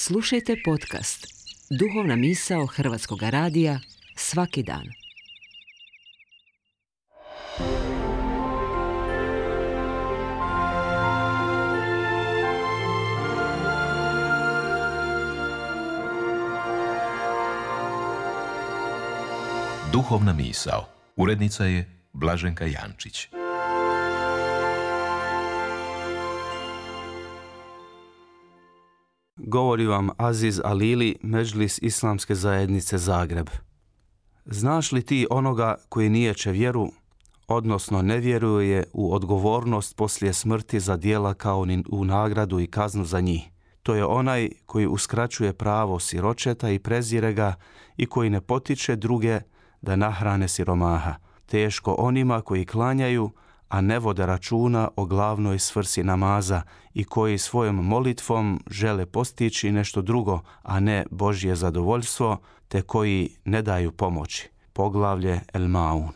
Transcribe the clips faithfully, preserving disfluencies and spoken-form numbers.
Slušajte podcast Duhovna misao Hrvatskog radija svaki dan. Duhovna misao. Urednica je Blaženka Jančić. Govori vam Aziz Alili, Medžlis Islamske zajednice Zagreb. Znaš li ti onoga koji niječe vjeru, odnosno ne vjeruje u odgovornost poslije smrti za djela kao ni u nagradu i kaznu za njih? To je onaj koji uskraćuje pravo siročeta i prezire ga i koji ne potiče druge da nahrane siromaha. Teško onima koji klanjaju, a ne vode računa o glavnoj svrsi namaza i koji svojom molitvom žele postići nešto drugo, a ne Božje zadovoljstvo, te koji ne daju pomoći. Poglavlje El Maun.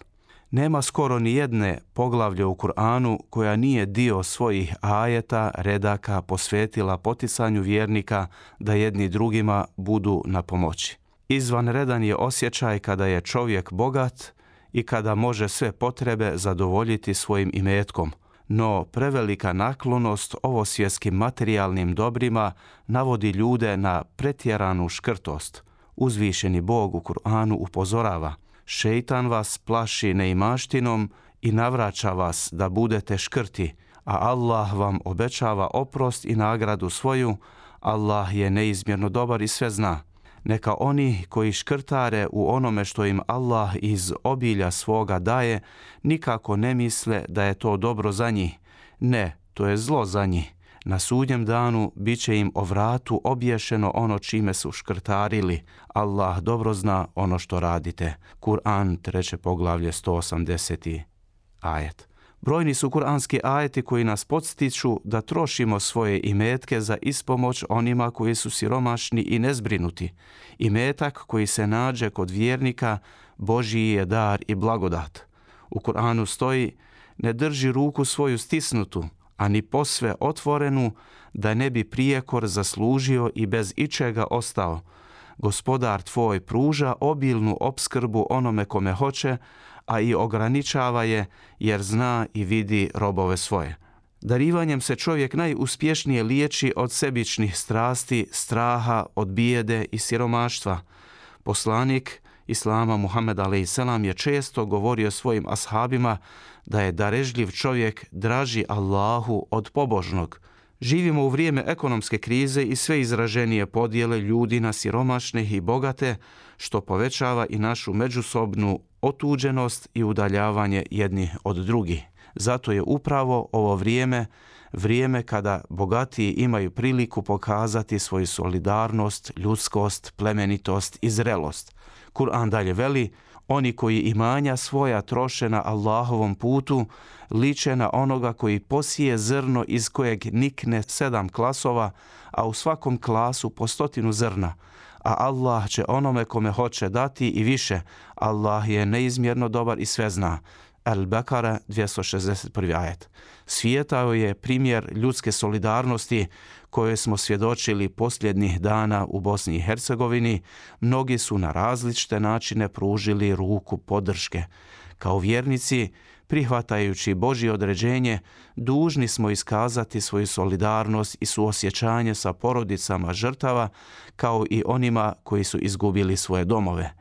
Nema skoro ni jedne poglavlje u Kur'anu koja nije dio svojih ajeta, redaka posvetila poticanju vjernika da jedni drugima budu na pomoći. Izvanredan je osjećaj kada je čovjek bogat i kada može sve potrebe zadovoljiti svojim imetkom, no prevelika naklonost ovosvjetskim materijalnim dobrima navodi ljude na pretjeranu škrtost. Uzvišeni Bog u Kur'anu upozorava: šeitan vas plaši neimaštinom i navraća vas da budete škrti, a Allah vam obećava oprost i nagradu svoju. Allah je neizmjerno dobar i sve zna. Neka oni koji škrtare u onome što im Allah iz obilja svoga daje, nikako ne misle da je to dobro za njih. Ne, to je zlo za njih. Na sudnjem danu bit će im o vratu obješeno ono čime su škrtarili. Allah dobro zna ono što radite. Kur'an, treće poglavlje, sto osamdeseti ajet. Brojni su kuranski ajeti koji nas podstiču da trošimo svoje imetke za ispomoć onima koji su siromašni i nezbrinuti. Imetak koji se nađe kod vjernika Božji je dar i blagodat. U Kur'anu stoji: ne drži ruku svoju stisnutu, a ni posve otvorenu, da ne bi prijekor zaslužio i bez ičega ostao. Gospodar tvoj pruža obilnu opskrbu onome kome hoće, a i ograničava je jer zna i vidi robove svoje. Darivanjem se čovjek najuspješnije liječi od sebičnih strasti, straha, od bijede i siromaštva. Poslanik Islama Muhammed alejhi je često govorio svojim ashabima da je darežljiv čovjek draži Allahu od pobožnog. Živimo u vrijeme ekonomske krize i sve izraženije podjele ljudi na siromašne i bogate, što povećava i našu međusobnu otuđenost i udaljavanje jednih od drugih. Zato je upravo ovo vrijeme, vrijeme kada bogatiji imaju priliku pokazati svoju solidarnost, ljudskost, plemenitost i zrelost. Kur'an dalje veli: oni koji imanja svoja troše na Allahovom putu liče na onoga koji posije zrno iz kojeg nikne sedam klasova, a u svakom klasu po stotinu zrna. A Allah će onome kome hoće dati i više. Allah je neizmjerno dobar i sve zna. Al-Bekara, dvjesto šezdeset prvi ajet. Svijetao je primjer ljudske solidarnosti koje smo svjedočili posljednjih dana u Bosni i Hercegovini. Mnogi su na različite načine pružili ruku podrške. Kao vjernici, prihvatajući Božje određenje, dužni smo iskazati svoju solidarnost i suosjećanje sa porodicama žrtava, kao i onima koji su izgubili svoje domove.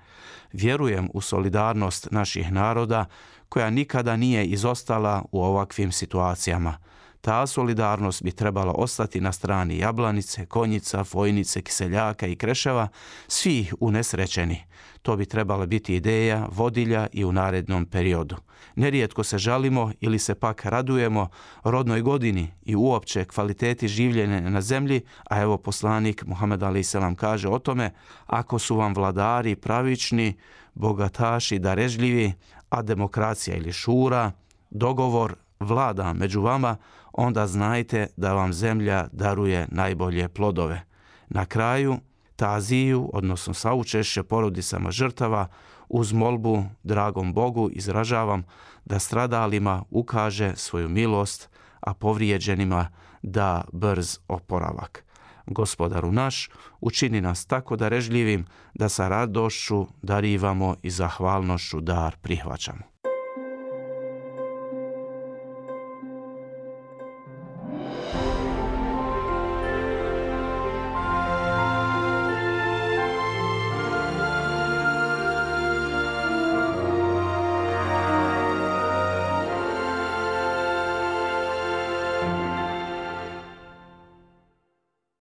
Vjerujem u solidarnost naših naroda, koja nikada nije izostala u ovakvim situacijama. Ta solidarnost bi trebala ostati na strani Jablanice, Konjica, Fojnice, Kiseljaka i Kreševa, svih unesrećeni. To bi trebala biti ideja vodilja i u narednom periodu. Nerijetko se žalimo ili se pak radujemo rodnoj godini i uopće kvaliteti življenja na zemlji, a evo poslanik Muhammed alejhi selam kaže o tome: ako su vam vladari pravični, bogataši darežljivi, a demokracija ili šura, dogovor vlada među vama, onda znajte da vam zemlja daruje najbolje plodove. Na kraju, taziju, odnosno saučešće porodicama žrtava, uz molbu dragom Bogu izražavam da stradalima ukaže svoju milost, a povrijeđenima da brz oporavak. Gospodaru naš, učini nas tako darežljivim da sa radošću darivamo i zahvalnošću dar prihvaćamo.